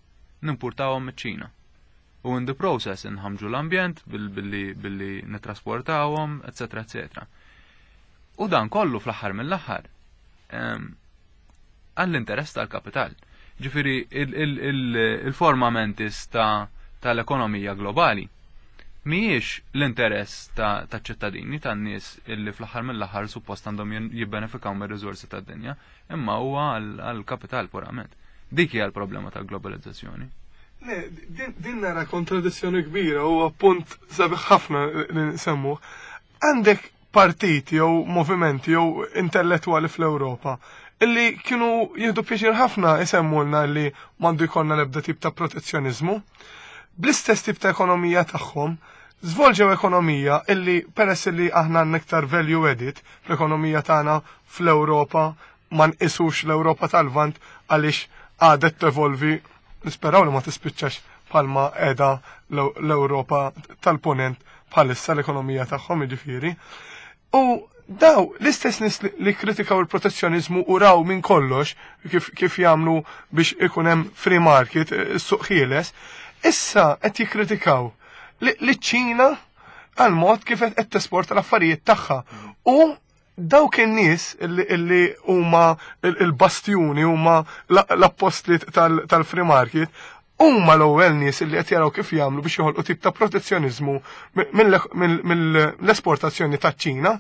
nimpurtawhom miċ-Ċina. U in the process inħamġu l-ambjent billi, billi nitrasportawhom, eċetera, eċetera. U dan kollu fl-aħħar mill-aħħar għall-interess tal-kapital. Ġifieri il-forma mentis ta' tal-ekonomija globali mhijiex l-interess ta' ċittadini tan-nies illi fl-aħħar mill-aħħar suppost għandhom jibbenefikaw mir-riżorsi tad-dinja, imma huwa għall-kapital purament. Dik hija l-problema tal-globalizzazzjoni. Le, din nara kontradizzjoni kbira u appunt sabiħ ħafna li nsemmu. Għandek partiti jew movimenti jew intellettwali fl-Ewropa illi kienu jieħdu pjaċir ħafna isemmulna li m'għandu jkollna l-ebda tip ta' protezzjonizmu. Bl-istess tip ta' ekonomija tagħhom, żvolġew ekonomija illi peress illi aħna għandna iktar value added fl-ekonomija tagħna fl-Ewropa ma nqisux l-Ewropa tal-Lvant għaliex għadet tevolvi nisperaw li ma tispiċċax bħalma qiegħda l-Ewropa tal-ponent bħalissa l-ekonomija tagħhom jiġifieri. U daw l-istess nies li kritikaw il-protezzjonizmu u raw minn kollox kif, kif jagħmlu biex ikun hemm free market, is-suq ħieles, issa qed jikkritikaw li ċ-Ċina għal mod kif qed tesporta l-affarijiet tagħha. U dawk in-nies illi huma il-bastjuni huma l-appostli tal-free market huma l-ewwel nies illi qed jaraw kif jagħmlu biex joħolqu tip ta' protezzjoniżmu mill-esportazzjoni taċ-Ċina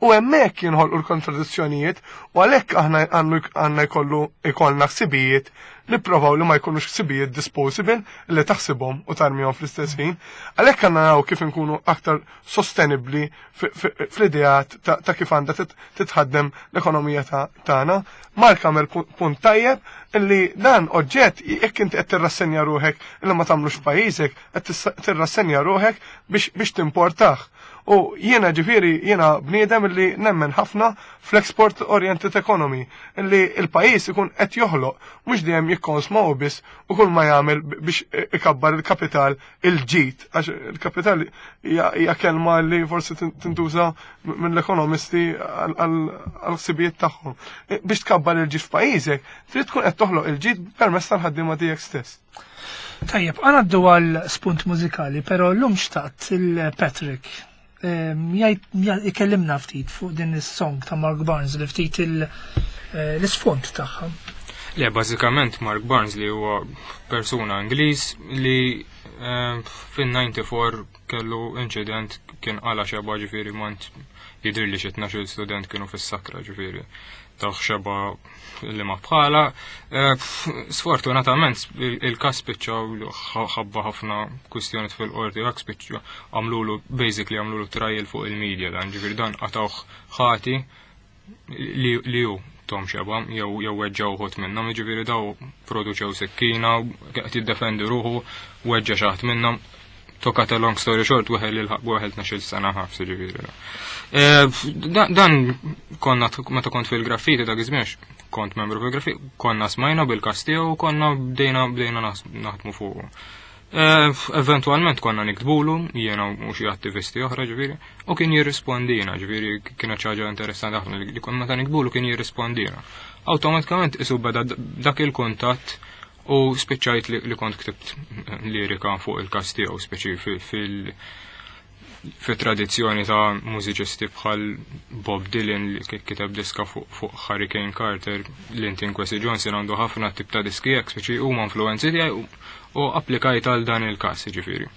u hemmhekk jinħolqu l-kontradizzjonijiet u għalhekk aħna għandna jkollu jkollna ħsibijiet li provaw li ma jkunux ħsibijiet disposable li taħsibhom u tarmihom fl-istess ħin. Għalhekk għandna naraw kif inkunu aktar sostenibbli fl-ideat ta' kif għandha titħaddem l-ekonomija tagħna. Mark għamel punt tajjeb illi dan oġġett jekk inti qed tirrassenja ruħek illi ma tagħmlux f'pajjiżek, qed tirrassenja ruħek biex timportah. U jiena ġifieri jiena bniedem illi nemmen ħafna fl-export oriented economy, illi il-pajjiż ikun qed joħloq mhux dejjem jikkonsma u biss u kull ma jagħmel biex ikabbar il-kapital il-ġid, għax il-kapital hija kelma li forsi tintuża mill-ekonomisti għal-ħsibijiet tagħhom. Biex tkabbar il-ġid f'pajjiżek, trid tkun qed toħloq il-ġid permezz tal-ħaddiema tiegħek stess. Tajjeb, għanaddu għal spunt mużikali, pero l-lum xtaqt il-Patrick ikellimna ftit fuq din is-song ta' Mark Barnes li ftit l-isfond tagħha. Le, bażikament Mark Barnes li huwa persuna Ingliż li fin-disgħa u disgħin kellu inċident, kien qala xeba, ġifieri mont jidher li xi tnax-il student kienu fis-sakra, ġifieri taħ xeba li ma bħala. Sfortunatament il-kas spiċċaw ħabba ħafna kwistjoni fil-qorti, għak spiċċaw għamlulu, basically għamlulu trial fuq il-media dan, ġifieri dan qatawh ħati li hu tom xeba, jew jew weġġaw uħud minnhom, ġifieri daw produċew sikkina, qed jiddefendi ruħu, weġġa' xi ħadd minnhom. To cut a long story short, weħel il weħel tnax-il sena ħabs, ġifieri. Dan konna meta kont fil-graffiti dak iż-żmien, kont membru fil-graffiti, konna smajna bil-każ tiegħu u konna bdejna bdejna naħdmu fuqu. Eventualment konna niktbulu, jiena u xi attivisti oħra ġifieri, u kien jirrispondina, ġifieri kienet xi ħaġa interessanti ħafna li konna meta niktbulu kien jirrispondina. Awtomatikament isu beda dak il-kuntatt u spiċċajt li kont ktibt lirika fuq il-każ tiegħu, speċi fil fit-tradizzjoni ta' mużiċisti bħal Bob Dylan li kiteb diska fuq Hurricane Carter, Linton Kwesi Johnson għandu ħafna tip ta' diski hekk, speċi huma influenzi tiegħi U applikajt għal dan il-każ jiġifieri.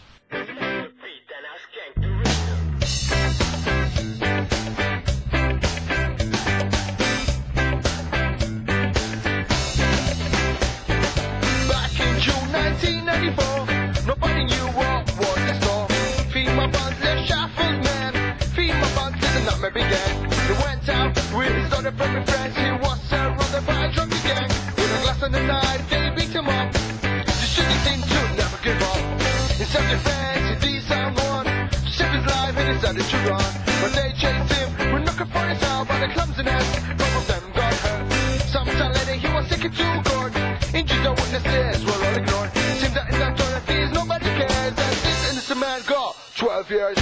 Back in June nineteen ninety-four, nobody knew what was in store. Female Barnsley shuffled man, female Barnsley the nightmare began. He went out with his other friendly friends. He was surrounded by a drunken gang. With a glass and a knife, they beat him up. The shooting seemed to never give up. In self-defense, he disarmed one to save his life and decided to run. But they chased him, were looking for his help, but the clumsiness, both of them got hurt. Some time later, he was taken to court. Injured the witnesses were all ignored. Seems that in the authorities nobody cares. And this innocent man got twelve years.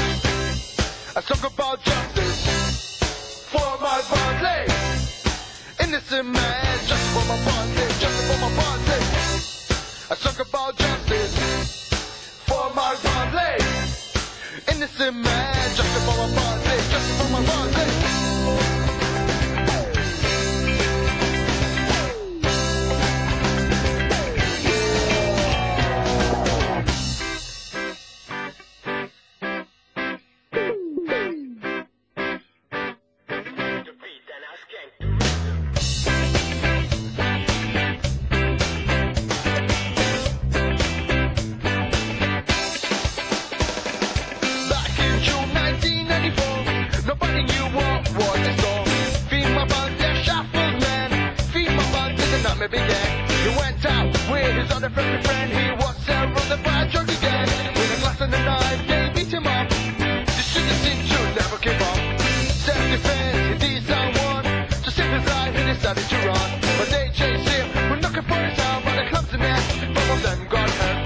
I talk about justice for my Barnsley. Innocent man, justice for my Barnsley, justice for my Barnsley. I talk about justice for my Barnsley. Innocent man, justice for my Barnsley, justice for my Barnsley. Back in June nineteen ninety-four, nobody knew what was in store. Female Barnsley shuffled man, female Barnsley the nightmare began. He went out with his other friendly friend. He was surrounded by a drunken gang. With a glass and a knife, they beat him up. The shooting seemed to never give up. Self-defense, he disarmed one to save his life. He decided to run, but they chased him. Were looking for his help, but the clumsiness, both of them got hurt.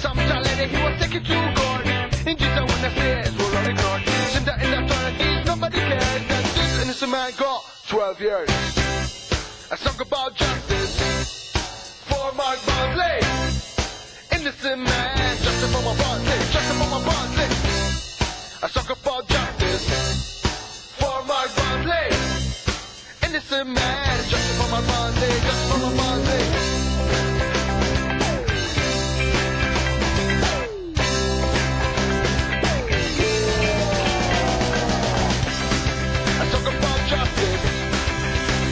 Some time later, he was taken to court. Injured and witnesses were all ignored. Seems that in the authorities nobody cares. That this innocent man got twelve years. A song about justice for Mark Barnsley. Innocent man, justice for my Barnsley, justice for my Barnsley. A song about justice for Mark Barnsley. Innocent man, justice for my Barnsley, justice for my Barnsley. I talk about justice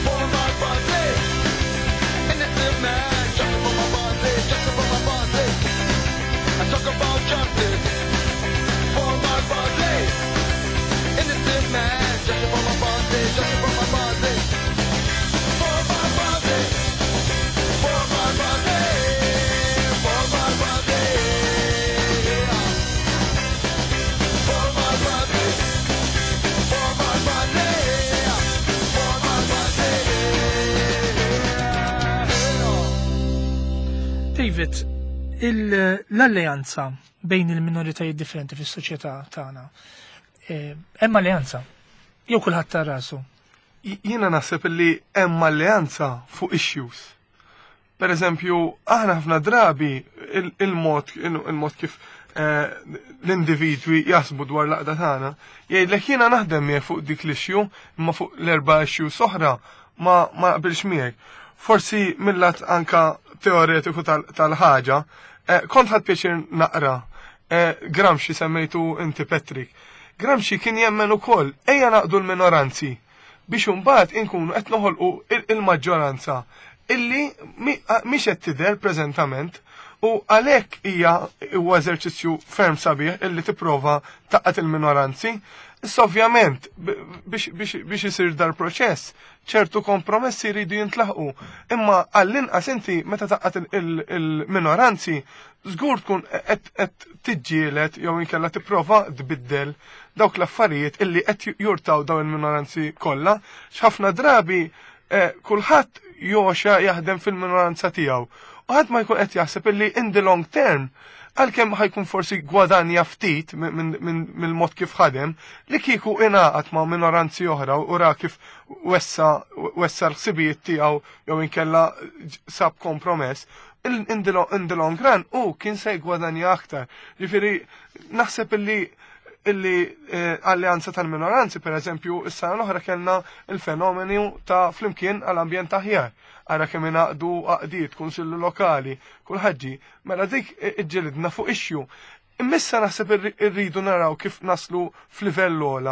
for my Barnsley. Innocent man, justice for my Barnsley, justice for my Barnsley. I talk about justice for my Barnsley. Innocent man, justice for my Barnsley, justice for my Barnsley. For my Barnsley, for my Barnsley, for my Barnsley. For my Barnsley. For my Barnsley, for my Barnsley. David, il- l-alleanza bejn il-minoritajiet differenti fis-soċjetà tagħna. eh, Hemm alleanza. Jew kulħadd ta' rasu. Jiena naħseb illi hemm alleanza fuq issues. Per eżempju, aħna ħafna drabi il- il-mod il-mod kif eh, l-individwi jaħsbu dwar l-għaqda tagħna, jgħidlek jiena naħdem miegħek fuq dik l-issue, imma fuq l-erba' issues oħra ma ma naqbilx miegħek. Forsi mill-lat anka teoretiku tal- tal-ħaġa, eh, kont ħadt pjaċir naqra eh, Gramsci semmejtu inti Patrick. Gramsci kien jemmen ukoll ejja naqdu l-minoranzi biex imbagħad inkunu qed noħolqu il- il-maġġoranza illi mi- a- mhix qed tidher preżentament u għalhekk hija huwa eżerċizzju ferm sabiħ illi tipprova taqgħat il-minoranzi. Issa ovvjament b- biex biex biex isir dar proċess ċertu kompromessi jridu jintlaħqu. Imma għall-inqas inti meta taqgħat il- il- il-minoranzi żgur tkun qed qed tiġġieled jew inkella tipprova tbiddel dawk l-affarijiet illi qed jurtaw dawn il-minoranzi kollha. X'ħafna drabi eh, kulħadd joxa jaħdem fil-minoranza tiegħu. U ħadd ma jkun qed jaħseb illi in the long term għalkemm ħajkun forsi gwadanja ftit mill-mod kif ħadem, li kieku ingħaqad ma' minoranzi oħra u ra kif wessa wessa l-ħsibijiet tiegħu jew inkella sab kompromess, in the long, in the long run u kien se jgwadanja aktar. Ġifieri naħseb illi Illi eh, alleanza tal-minoranzi, per eżempju, is-sena l-oħra kellna il-fenomeni ta' Flimkien għall-ambjent aħjar. Ara kemm ingħaqdu għaqdiet, kunsillu lokali, kulħadd ġie. Mela dik iġġilidna fuq issue. Imma issa naħseb irridu naraw kif naslu f'livell ogħla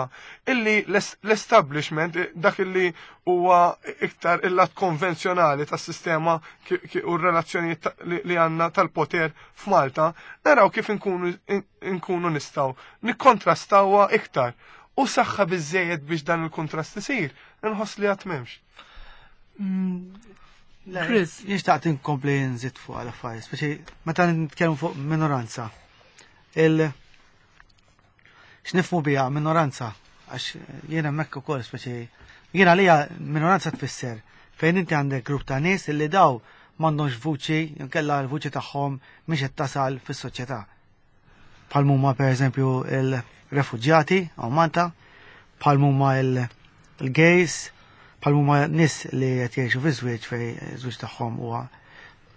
illi l-establishment, dak illi huwa iktar il-lat konvenzjonali tas-sistema u r-relazzjonijiet li għandna tal-poter f'Malta, naraw kif inkunu inkunu nistgħu nikkontrastawha iktar. U saħħa biżejjed biex dan il-kontrast isir, inħoss li għad m'hemmx. Chris. Jien xtaqt inkompli nżid fuq għal affarijiet, speċi meta nitkellmu fuq minoranza. Il x'nifhmu biha minoranza, għax jiena hemmhekk ukoll speċi jiena għalija minoranza tfisser fejn inti għandek grupp ta' nies illi daw m'għandhomx vuċi, inkella l-vuċi tagħhom mhix qed tasal fis-soċjetà. Bħal huma pereżempju il-refuġjati hawn Malta, bħal huma il-gays, bħal huma nies li qed jgħixu fi żwieġ fejn żwieġ tagħhom huwa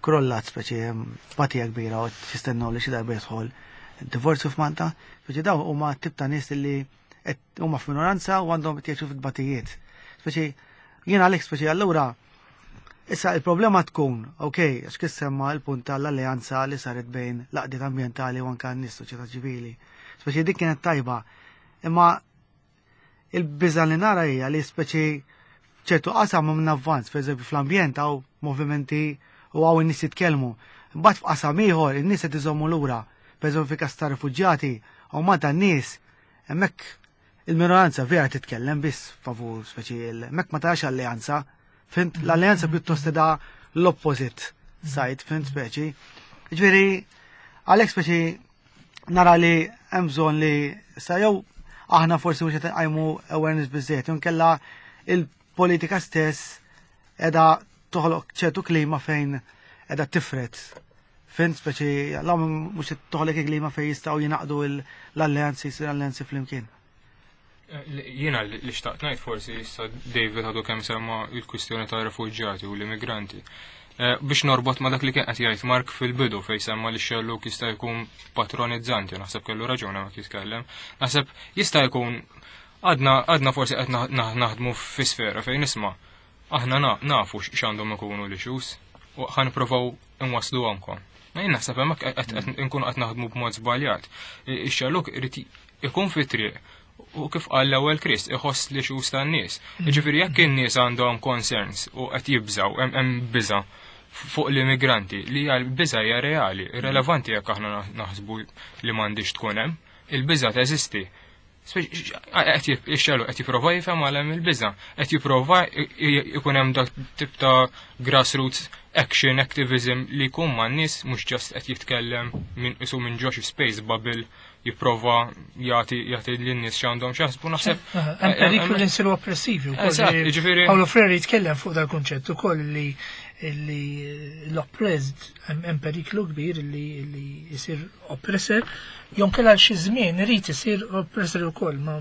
krollat, speċi hemm tbatija kbira u jistennew li xi darba jidħol divorzju f'Malta, speċi daw huma tip ta' nies li qed huma f'minoranza u għandhom qed jgħixu f'tbatijiet. Speċi jien għalhekk speċi allura issa il-problema tkun, ok, għax kif semma l-punt tal-alleanza li saret bejn l-għaqdiet ambjentali u anke n-nies soċjetà ċivili. Speċi dik kienet tajba, imma il-biża li nara hija li speċi ċertu qasam minn avvanz, per eżempju fl-ambjent hawn movimenti u hawn in-nies jitkellmu. Mbagħad f'qasam ieħor in-nies qed iżommu lura. Per eżempju fi każ ta' rifuġjati u Malta n-nies hemmhekk il-minoranza vera titkellem biss favur speċi hemmhekk ma tarax alleanza. Fhimt, l-alleanza pjuttost da l-opposite side, fhimt speċi. Ġifieri għalhekk speċi nara li hemm bżonn li sa jew aħna forsi mhux qed nqajmu awareness biżejjed, jew inkella il-politika stess qiegħda toħloq ċertu klima fejn qiegħda tifret. Fhimt speċi l mhux qed toħloq klima fejn jistgħu jingħaqdu l-alleanzi, jsir alleanzi flimkien. Jiena li xtaqt ngħid forsi issa David għadu kemm semma il-kwistjoni ta' refuġjati u l-immigranti. Eh, biex norbot ma dak li kien qed jgħid Mark fil-bidu fejn semma li xelluk jista' jkun patronizzanti, naħseb kellu raġuni ma jitkellem. Naħseb jista' jkun għadna għadna forsi qed naħdmu fi sfera fejn nisma' aħna nafu x'għandhom ikunu l-issues u ħa nippruvaw inwasslu għamkom. Ma jien naħseb hemmhekk qed nkunu qed naħdmu b'mod żbaljat. Ix-xelluk irid ikun fi triq u kif qal l-ewwel Chris iħoss li issues tan-nies. Jiġifieri jekk in-nies għandhom concerns u qed jibżaw hemm biża' fuq l-immigranti li hija l-biża' hija reali, irrelevanti jekk aħna naħsbu li m'għandix tkun hemm, il-biża' teżisti. Ix-xelluk qed jipprova jifhem għal hemm il-biża', qed jipprova jkun hemm dak tip ta' grassroots action activism li jkun man-nies mhux just qed jitkellem minn isu minn ġo xi space bubble jipprova jagħti jagħti lin-nies x'għandhom x'jaħsbu naħseb. Hemm periklu li nsiru oppressivi wkoll. Eżatt, jiġifieri Paolo Freire jitkellem fuq dal-kunċett ukoll li li l-oppressed hemm periklu kbir li li jsir oppressor jew kellha xi żmien irid isir oppressor ukoll ma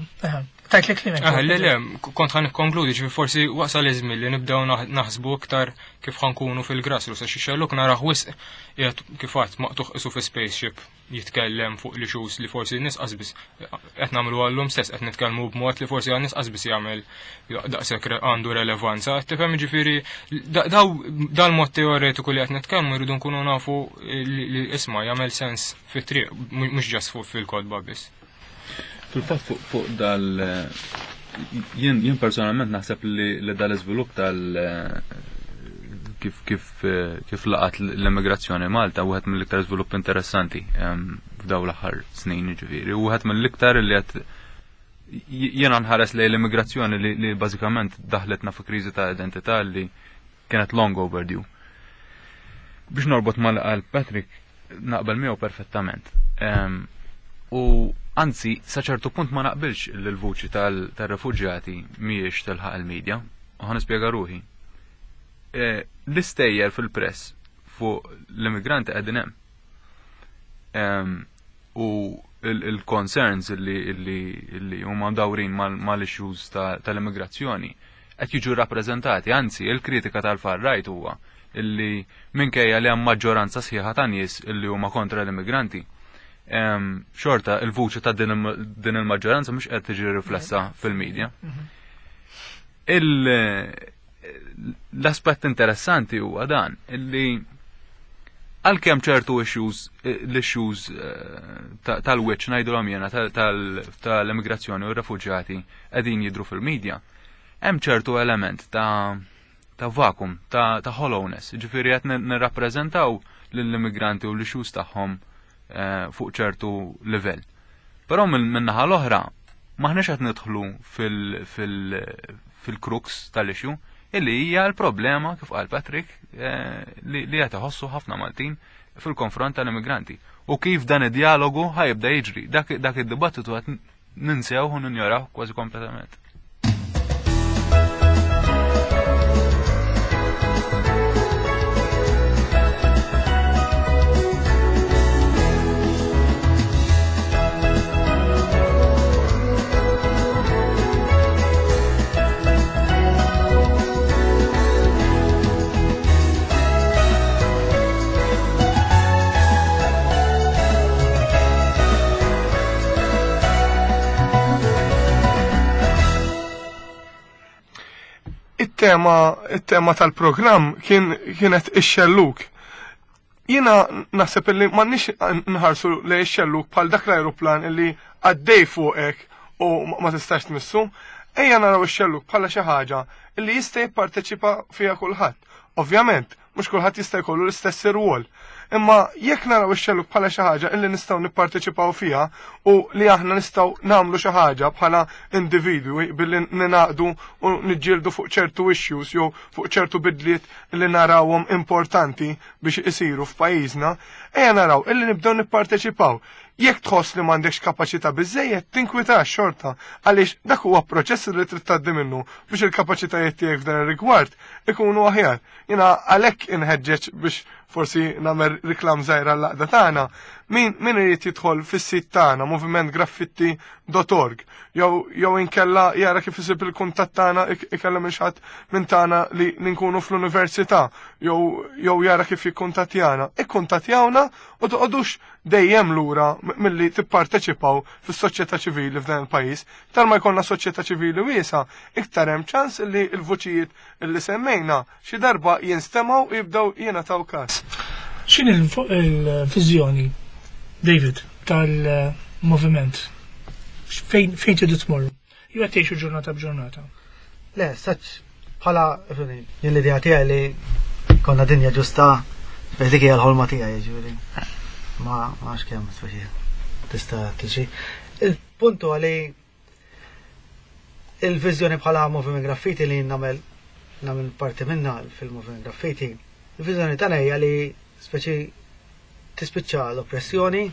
tajt li kliem. Ah, le, le, kont ħa nikkonkludi, ġifi forsi wasal iż-żmien li nibdew naħsbu iktar kif ħa nkunu fil-grassroots, għax ix-xelluk naraħ wisq qiegħed kif għadt maqtugħ isu fi spaceship jitkellem fuq li issues li forsi n-nies qasbis qed nagħmlu għallum stess qed nitkellmu b'mod li forsi għan-nies qasbis jagħmel daqshekk għandu relevanza. Tifhem ġifieri daw dal-mod teoretiku li qed nitkellmu jridu nkunu nafu li isma' jagħmel sens fit-triq mhux just fuq fil-kotba biss. Fil-fatt fuq dal jien jien personalment naħseb li li dal-iżvilupp tal kif kif kif laqat l-immigrazzjoni Malta wieħed mill-iktar żvilupp interessanti f'daw l-aħħar snin ġifieri, u wieħed mill-iktar li qed jiena nħares lejn l-immigrazzjoni li, li bażikament daħletna fi kriżi ta' identità li kienet long overdue. Biex norbot mal Patrick naqbel miegħu perfettament. U anzi, sa ċertu punt ma naqbilx li l-vuċi tal-refuġjati mhijiex tilħaq il-medja, u ħa nispjega ruħi. E, l-istejjer fil-press fuq l-immigranti qegħdin hemm. U il-concerns li huma mdawrin mal-issues tal-immigrazzjoni qed jiġu rappreżentati, anzi il-kritika tal-far right huwa illi minkejja li hemm maġġoranza sħiħa ta' nies illi huma kontra l-immigranti. Xorta il-vuċi ta' din il-maġġoranza mhux qed tiġi riflessa fil-medja. L-aspett interessanti huwa dan illi għalkemm ċertu issues, l-issues tal-wiċċ ngħidulhom jiena tal-immigrazzjoni u r-refuġjati qegħdin jidhru fil-medja, hemm ċertu element ta' ta' vacuum, ta' ta' hollowness, ġifieri qed nirrappreżentaw lill-immigranti u l-issues tagħhom fuq ċertu livell. Però min-naħa l-oħra maħniex qed nidħlu fil-crux tal-issue illi hija l-problema kif qal Patrick li qed iħossu ħafna Maltin fil-konfront tal-immigranti. U kif dan id-dialogu ħajibda jiġri, dak id-dibattitu qed ninsew u ninjoraw kważi kompletament. Il-tema, il-tema tal-programm kien, kienet ix-xelluk. Jiena naħseb illi m'għandniex nħarsu lejn ix-xelluk bħal dak l-ajruplan illi għaddej fuqek u ma tistax tmissu. Ejja naraw ix-xelluk bħala xi ħaġa illi jista' jipparteċipa fiha kulħadd. Ovvjament, mhux kulħadd jista' jkollu l-istess irwol. Imma jekk naraw ix-xelluk bħala xi ħaġa illi nistgħu nipparteċipaw fiha u li aħna nistgħu nagħmlu xi ħaġa bħala individwi billi ninaqdu u niġġieldu fuq ċertu issues jew fuq ċertu bidliet li narawhom importanti biex isiru f'pajjiżna, ejja naraw illi nibdew nipparteċipaw. Jekk tħoss li m'għandekx kapaċità biżejjed, tinkwitax xorta għaliex dak huwa proċess li trid tgħaddi minnu biex il-kapaċitajiet tiegħek f'dan ir-rigward ikunu aħjar. Jiena għalhekk inħeġġeġ biex forsi nagħmel reklam żgħira għall-għaqda tagħna. Min min irid jidħol fis-sit tagħna moviment graffiti dot org jew jew inkella jara kif isib il-kuntatt tagħna ikellem il xi ħadd minn tagħna li nkunu fl-università jew jew jara kif jikkuntattjana. Ikkuntattjawna u toqgħodux dejjem lura milli tipparteċipaw fis-soċjetà ċivili f'dan il-pajjiż. Iktar ma jkollna soċjetà ċivili wiesa, iktar hemm ċans li l-vuċijiet li semmejna xi darba jinstemgħu u jibdew jingħataw każ. X'inhi l-viżjoni, David, tal-moviment? Fejn fejn tridu tmorru? Jew qed tgħixu ġurnata b'ġurnata? Le, saċ bħala jien l-idea tiegħi li konna dinja ġusta, speċi dik hija l-ħolma tiegħi, jiġifieri. Ma nafx kemm speċi tista' tiġi. Il-punt huwa li il-viżjoni bħala Moviment Graffiti li nagħmel nagħmel parti minna fil-Moviment Graffiti, il-viżjoni tagħna hija li speċi tispiċċa l-oppressjoni,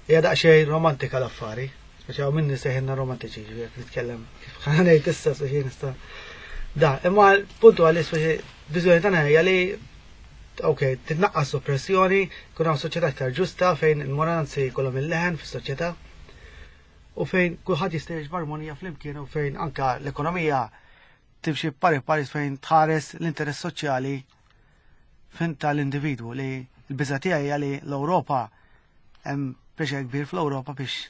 hija daqsxejn romantika l-affari, speċi hawn minni seħinna romantiċi, ġifieri jekk nitkellem kif ħa ngħid issa speċi nista' da, imma l-punt huwa li speċi viżjoni tagħna hija li ok, titnaqqas oppressjoni, jkun hawn soċjetà aktar ġusta fejn il-minoranzi jkollhom il-leħen fis-soċjetà u fejn kulħadd jista' jgħix b'armonija flimkien u fejn anka l-ekonomija timxi pari pari fejn tħares l-interess soċjali fejn tal-individwu li l-biża' tiegħi hija li l-Ewropa hemm pressure kbir fl-Ewropa biex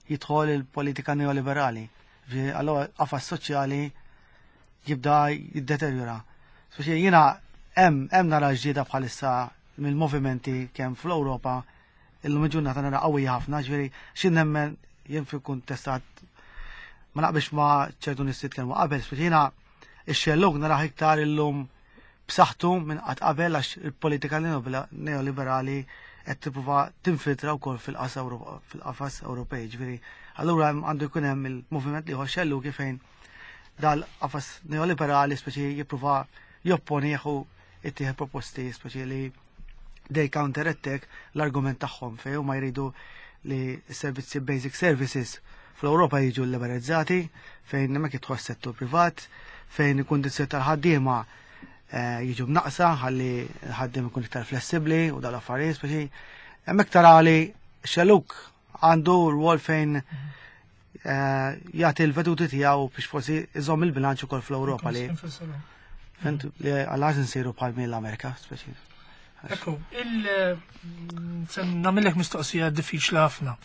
jidħol il-politika neoliberali. Ġifieri, allura qafas soċjali jibda jiddeterjora. Speċi jiena hemm hemm nara ġdida bħalissa mill-movimenti kemm fl-Ewropa illum il-ġurnata nara qawwija ħafna, ġifieri xi nemmen jien fil-kuntestat ma naqbilx ma' ċertu nies jitkellmu qabel, speċi jiena ix-xellug narah iktar illum b'saħħtu minn qatt qabel għax il-politika neoliberali qed tipprova tinfiltra wkoll fil-qafas Ewro-, fil-qafas Ewropej, ġifieri allura għandu jkun hemm il-moviment li xellug fejn dal-qafas neoliberali speċi jippruva jopponi u ittieħed proposti speċi li they counter-attack l-argument tagħhom fejn huma jridu li s-servizzi basic services fl-Ewropa jiġu liberalizzati, fejn hemmhekk jidħol settur privat, fejn il-kundizzjoni tal-ħaddiema, eh, jiġu mnaqsa ħalli l-ħaddiem ikun iktar flessibbli u dawn l-affarijiet speċi hemmhekk tara li xellug għandu rwol fejn, eh, jagħti l-veduti tiegħu biex forsi iżomm il-bilanċ ukoll fl-Ewropa li Fent li għal-għax nsiru bħal mill-Amerika, speċi. Ekku, il se nagħmellek mistoqsija diffiċli ħafna.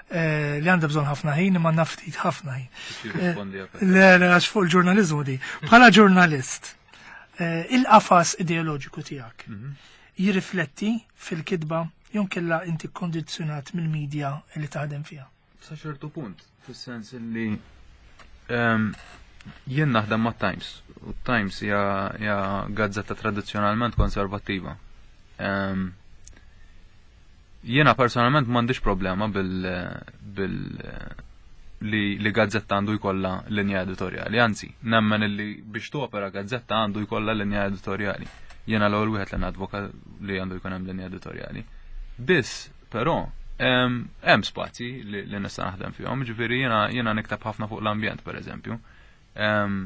Eh, li għandha bżonn ħafna ħin imma naftit ħafna ħin. Jirrispondi għal- Le, le, għax fuq il-ġurnalizmu di. Bħala ġurnalist, eh, il-qafas ideoloġiku tiegħek jirrifletti fil-kitba jew kella inti kondizzjonat mill-medja li taħdem fiha. Sa ċertu punt, fis-sens li ehm, jien naħdem ma' Times, u Times hija hija gazzetta tradizzjonalment konservattiva. Ehm, Jiena personalment m'għandix problema bil, bil li, li gazzetta għandu jkollha linja editorjali, anzi, nemmen li biex topera gazzetta għandu jkollha linja editorjali. Jiena l-ewwel wieħed li nadvoka li għandu jkun hemm linja editorjali. Biss, però, hemm hemm spazji li, li nista' naħdem fihom, ġifieri jiena jiena nikteb ħafna fuq l-ambjent pereżempju. Em,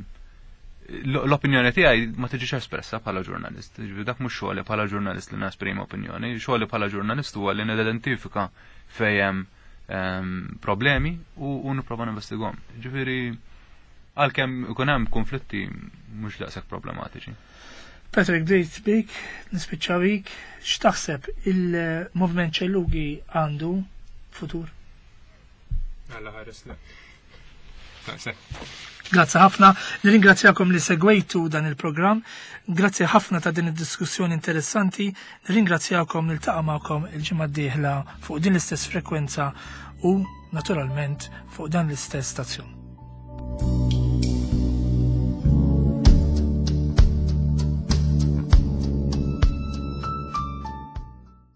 l- L-opinjoni tiegħi ma tiġix espressa bħala ġurnalist. Ġifieri dak mhux xogħli bħala ġurnalist li nesprimi opinjoni, xogħli bħala ġurnalist huwa li nidentifika fejn hemm em, problemi u, u nipprova ninvestigahom. Ġifieri għalkemm ikun hemm konflitti mhux daqshekk problematiċi. Patrick, bdejt bik, nispiċċa bik, x'taħseb il-movement xellugi għandu futur? Alla ħares le. Naqse. Grazzi ħafna, nirringrazzjakom li segwejtu dan il-programm, grazzi ħafna ta' din id-diskussjoni interessanti, nirringrazzjakom niltaqa' magħkom il-ġimgħa d-dieħla fuq din l-istess frekwenza u naturalment fuq dan l-istess stazzjon.